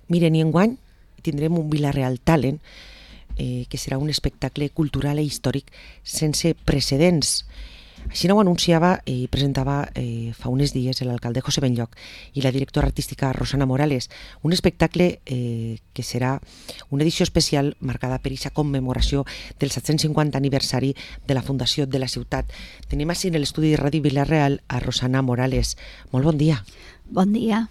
Miren, i enguany tindrem un Vila-real Talent, que serà un espectacle cultural i històric sense precedents. Així ho anunciava i presentava fa uns dies l'alcalde José Benlloch i la directora artística Rosana Morales, un espectacle que serà una edició especial marcada per aquesta commemoració del 750 aniversari de la fundació de la ciutat. Tenim així en l'estudi de Ràdio Vila-real a Rosana Morales. Molt bon dia. Bon dia.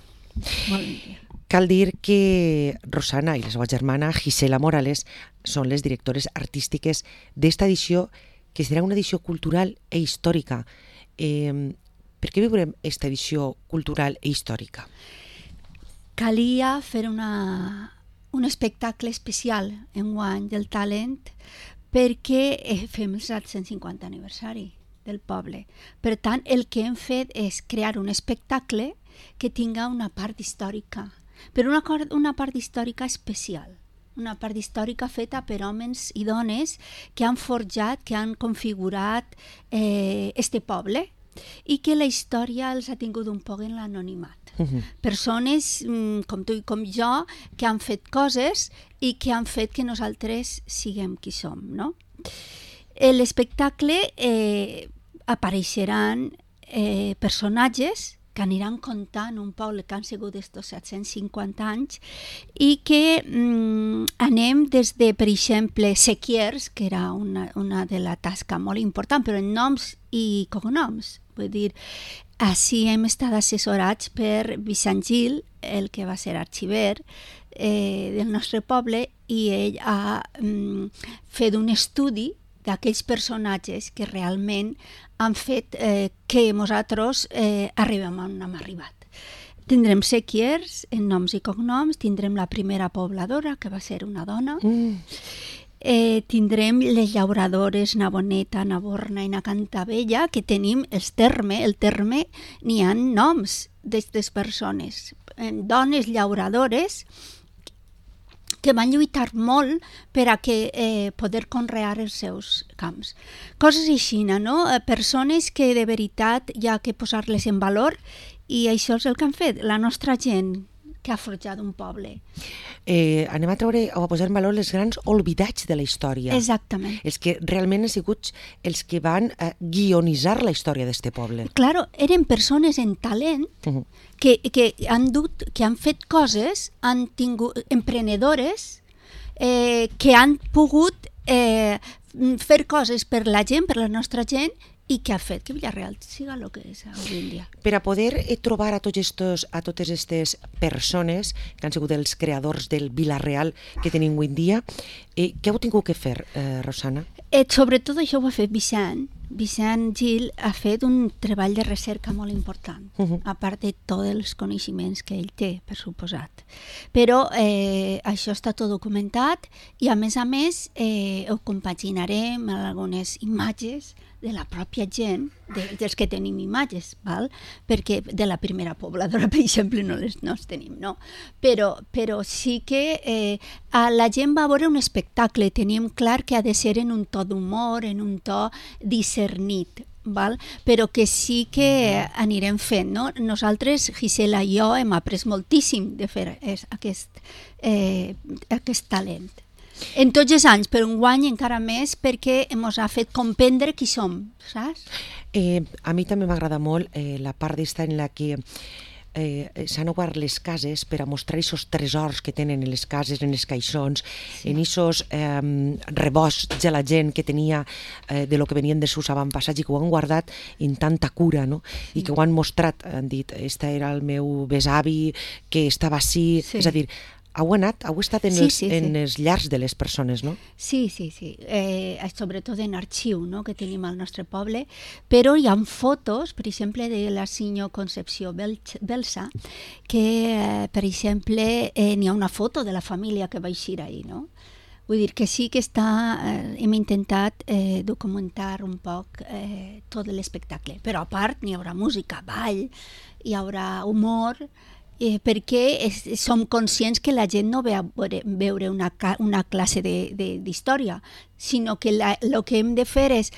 Bon dia. Cal dir que Rosana i la seva germana Gisela Morales són les directores artístiques d'esta edició, que serà una edició cultural i històrica. Per què viurem aquesta edició cultural i històrica? Calia fer un espectacle especial enguany del talent perquè fem el 750 aniversari del poble. Per tant, el que hem fet és crear un espectacle que tinga una part històrica, però una part històrica especial. Una part històrica feta per homes i dones que han forjat, que han configurat este poble i que la història els ha tingut un poc en l'anonimat. Persones com tu i com jo que han fet coses i que han fet que nosaltres siguem qui som, no? L'espectacle apareixeran personatges que aniran contant un poble que han sigut estos 750 anys i que anem des de, per exemple, sequiers, que era una de la tasca molt important, però en noms i cognoms. Vull dir, així hem estat assessorats per Vicent Gil, el que va ser arxiver del nostre poble, i ell ha fet un estudi d'aquells personatges que realment han fet que nosaltres arribem on hem arribat. Tindrem sequiers en noms i cognoms, tindrem la primera pobladora, que va ser una dona, tindrem les llauradores Navoneta, Naborna i Nacantabella, que tenim el terme n'hi ha noms d'aquestes persones, dones llauradores que van lluitar molt per a poder conrear els seus camps. Coses així, no? Persones que de veritat hi ha que posar-les en valor, i això és el que han fet, la nostra gent que ha forjat un poble. Anem a treure o a posar en valor els grans oblidats de la història. Exactament. Els que realment han sigut els que van guionitzar la història d'este poble. Claro, eren persones en talent que han fet coses, han tingut emprenedores que han pogut fer coses per la gent, per la nostra gent, i que ha fet que Vila-real siga el que és avui en dia. Per a poder trobar a totes aquestes persones que han sigut els creadors del Vila-real que tenim avui en dia, què heu tingut que fer, Rosana? Sobretot això ho ha fet Vicent. Vicent Gil ha fet un treball de recerca molt important, a part de tots els coneixements que ell té, per suposat. Però això està tot documentat i, a més, ho compaginarem amb algunes imatges de la pròpia gent, dels que tenim imatges, val? Perquè de la primera pobladora, per exemple, no els tenim, no? Però sí que la gent va veure un espectacle, teníem clar que ha de ser en un to d'humor, en un to discernit, val? Però que sí que anirem fent, no? Nosaltres, Gisela i jo, hem après moltíssim de fer aquest talent. En tots els anys, però enguany encara més, perquè ens ha fet comprendre qui som, saps? A mi també m'agrada molt la part d'esta en la que s'han obert les cases per a mostrar aquests tresors que tenen en les cases, en els caixons, en aquests rebosts de la gent que tenia de lo que venien dels seus avantpassats i que ho han guardat en tanta cura, no? I que ho han mostrat, han dit, este era el meu besavi que estava així, és a dir, heu estat en els llars de les persones, no? Sí. Sobretot en arxiu, no?, que tenim al nostre poble, però hi ha fotos, per exemple, de la senyor Concepció Belsa, que, per exemple, n'hi ha una foto de la família que va eixir ahir, no? Vull dir que sí que hem intentat documentar un poc tot l'espectacle, però a part n'hi haurà música, ball, hi haurà humor, perquè som conscients que la gent no ve a veure una classe d'història, sinó que el que hem de fer és,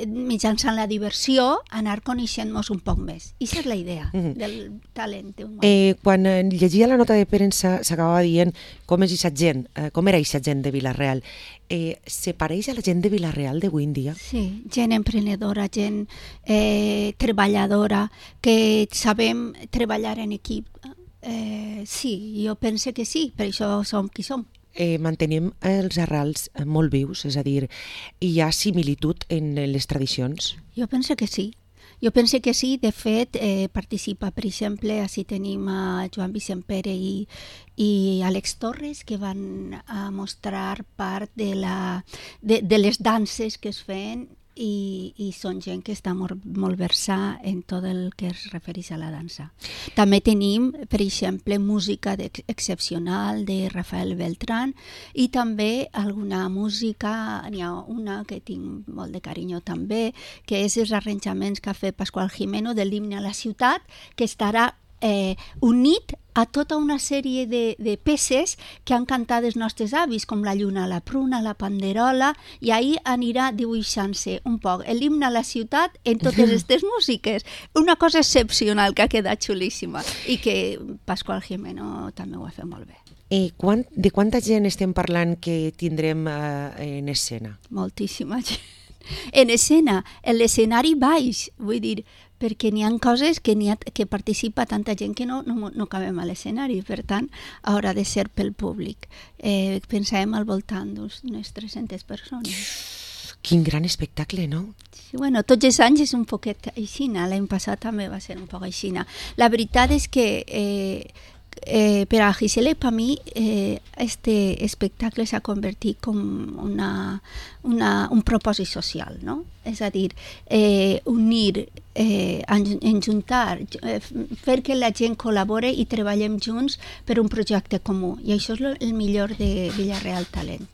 mitjançant la diversió, anar coneixent-nos un poc més. I aquesta és la idea del talent humà. Quan llegia la nota de premsa s'acabava dient com és aquesta gent, com era aquesta gent de Vila-real. Se pareix a la gent de Vila-real d'avui en dia? Sí, gent emprenedora, gent treballadora, que sabem treballar en equip. Sí, jo penso que sí, per això som qui som. Mantenim els arrels molt vius, és a dir, hi ha similitud en les tradicions? Jo penso que sí. Jo penso que sí, de fet, participa, per exemple, així tenim a Joan Vicent Pere i Àlex Torres, que van a mostrar part de les danses que es feien i són gent que està molt versada en tot el que es refereix a la dansa. També tenim, per exemple, música excepcional de Rafael Beltrán i també alguna música, n'hi ha una que tinc molt de carinyo també, que és els arranjaments que ha fet Pasqual Gimeno de l'himne a la ciutat, que estarà unit a tota una sèrie de peces que han cantat els nostres avis, com la lluna, la pruna, la panderola, i ahir anirà dibuixant-se un poc l'himne a la ciutat en totes aquestes músiques. Una cosa excepcional que ha quedat xulíssima i que Pasqual Gimeno també ho ha fet molt bé. De quanta gent estem parlant que tindrem en escena? Moltíssima gent. En escena, en l'escenari baix, vull dir, perquè n'hi ha coses que participa tanta gent que no cabem a l'escenari, per tant, haurà de ser pel públic. Pensàvem al voltant d'unes 300 persones. Quin gran espectacle, no? Sí, bueno, tots els anys és un poquet aixina, l'any passat també va ser un poc aixina. La veritat és que per a Gisela i per mi este espectacle s'ha convertit com un propòsit social, no? És a dir, unir, enjuntar, fer que la gent col·labore i treballem junts per un projecte comú. I això és el millor de Vila-real Talent.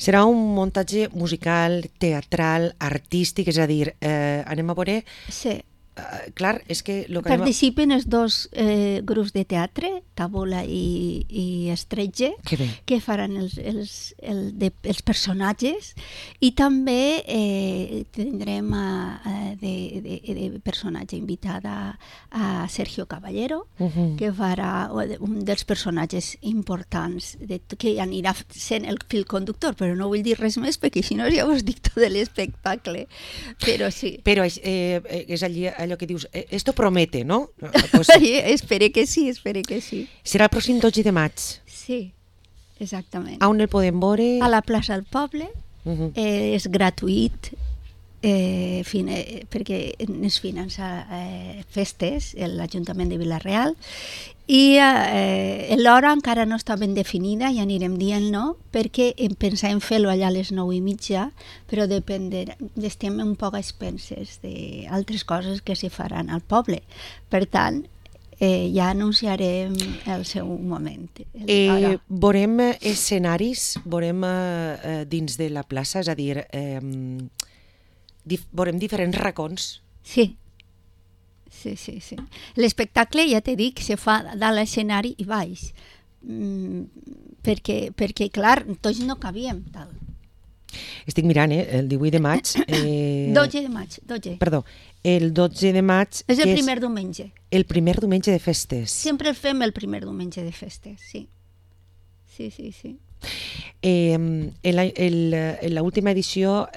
Serà un muntatge musical, teatral, artístic, és a dir, anem a veure... Sí. Clar, és que... Participen els dos grups de teatre, Tabola i Estretge, que faran els personatges, i també tindrem de personatge invitada a Sergio Caballero, que farà un dels personatges importants, que anirà sent el fil conductor, però no vull dir res més, perquè si no ja us dic tot l'espectacle. Però sí. Però és allò que dius, esto promete, ¿no? Pues, espere que sí. Serà el pròxim 12 de maig. Sí, exactament. On el podem veure? A la plaça del Poble, és gratuït, perquè es finança festes, l'Ajuntament de Vila-real, i l'hora encara no està ben definida, ja anirem dient-no, perquè pensàvem fer-lo allà a les 9:30, però estem un poc a expenses d'altres coses que se faran al poble. Per tant, ja anunciarem el seu moment. Veurem escenaris, veurem dins de la plaça, és a dir, veurem diferents racons. Sí. L'espectacle, ja t'he dit, se fa dalt l'escenari i baix, perquè clar, tots no cabíem tal. Estic mirant, el 18 de maig... 12 de maig, 12. Perdó, el 12 de maig... És el primer diumenge. El primer diumenge de festes. Sempre el fem el primer diumenge de festes, sí. Sí. En l'última edició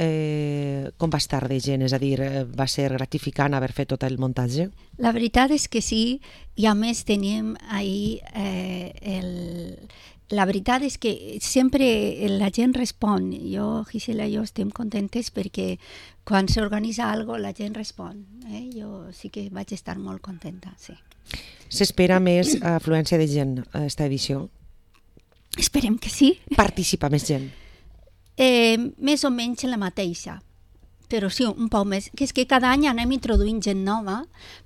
com va estar de gent? És a dir, va ser gratificant haver fet tot el muntatge? La veritat és que sí, i a més teníem ahir la veritat és que sempre la gent respon. Gisela i jo estem contentes perquè quan s'organitza alguna cosa la gent respon. Jo sí que vaig estar molt contenta, sí. S'espera més afluència de gent a aquesta edició? Esperem que sí. Participa més gent? Més o menys la mateixa, però sí, un poc més. Que és que cada any anem introduint gent nova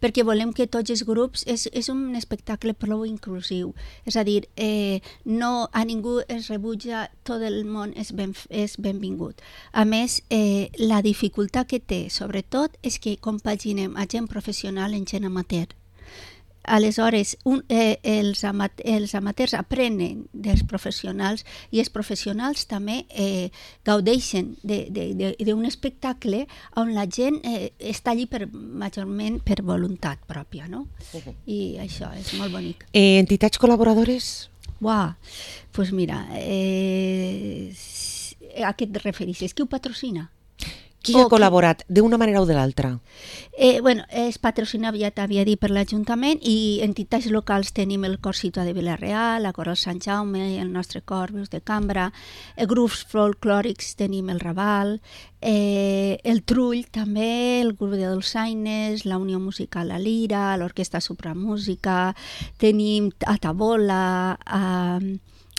perquè volem que tots els grups... És un espectacle prou inclusiu. És a dir, a ningú es rebutja, tot el món és benvingut. A més, la dificultat que té, sobretot, és que compaginem a gent professional en gent amateur. aleshores els amateurs aprenen dels professionals i els professionals també gaudeixen d'un espectacle on la gent està allí majorment per voluntat pròpia, no? I això és molt bonic. Entitats col·laboradores? Uau, doncs mira, a què et refereixes? Qui ho patrocina? Qui ha col·laborat d'una manera o de l'altra? És patrocinat, ja t'havia dit, per l'Ajuntament, i entitats locals tenim el Cor Ciutadà de Vila-real, la Coral Sant Jaume, el nostre cor, Veus de Cambra, grups folclòrics tenim el Raval, el Trull també, el grup de dolçaines, la Unió Musical La Lira, l'Orquestra Supramúsica, tenim a Tabola,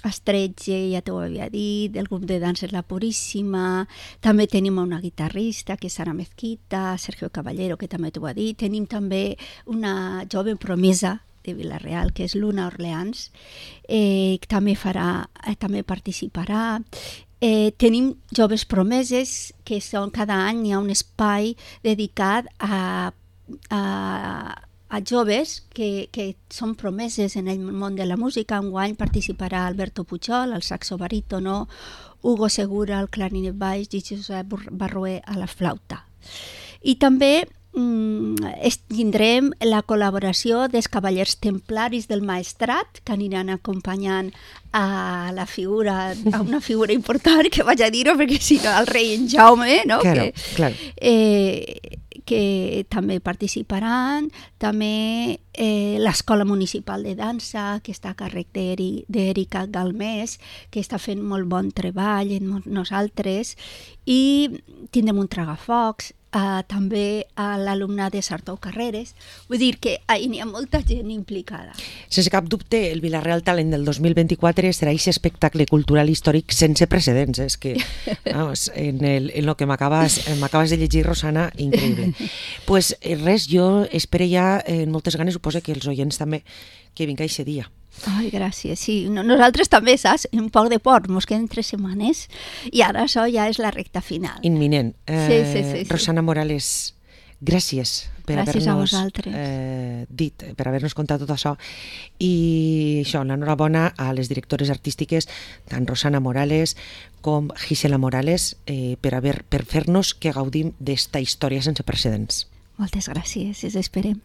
Estretge, ja t'ho havia dit, el grup de danses La Puríssima, també tenim una guitarrista, que és Sara Mezquita, Sergio Caballero, que també t'ho ha dit, tenim també una jove promesa de Vila-real, que és Luna Orleans, que també participarà. Tenim joves promeses, que són cada any hi ha un espai dedicat a joves que són promeses en el món de la música. Enguany participarà Alberto Pujol, el saxo barítono, Hugo Segura, el clarinet baix, i Josep Barrué a la flauta. I també tindrem la col·laboració dels Cavallers Templaris del Maestrat, que aniran acompanyant a una figura important, que vaig a dir-ho perquè si no el rei en Jaume, no? Claro. Que també participaran, també l'Escola Municipal de Dansa, que està a càrrec d'Erika Galmés, que està fent molt bon treball en nosaltres, i tindrem un tragafocs, també a l'alumnat de Sartou Carreres. Vull dir que hi ha molta gent implicada. Sense cap dubte, el Vila-real Talent del 2024 serà aquest espectacle cultural històric sense precedents. És que, vamos, en el que m'acabes de llegir, Rosana, increïble. Pues res, jo espero ja amb moltes ganes, suposo que els oients també, que vinga aquest dia. Ai, gràcies, sí. Nosaltres també, saps? Un poc de por, mos queden 3 setmanes i ara això ja és la recta final. Imminent. Sí. Rosana Morales, gràcies per haver-nos dit, per haver-nos contat tot això, i això, l'enhorabona a les directores artístiques, tant Rosana Morales com Gisela Morales, per fer-nos que gaudim d'esta història sense precedents. Moltes gràcies, ens esperem.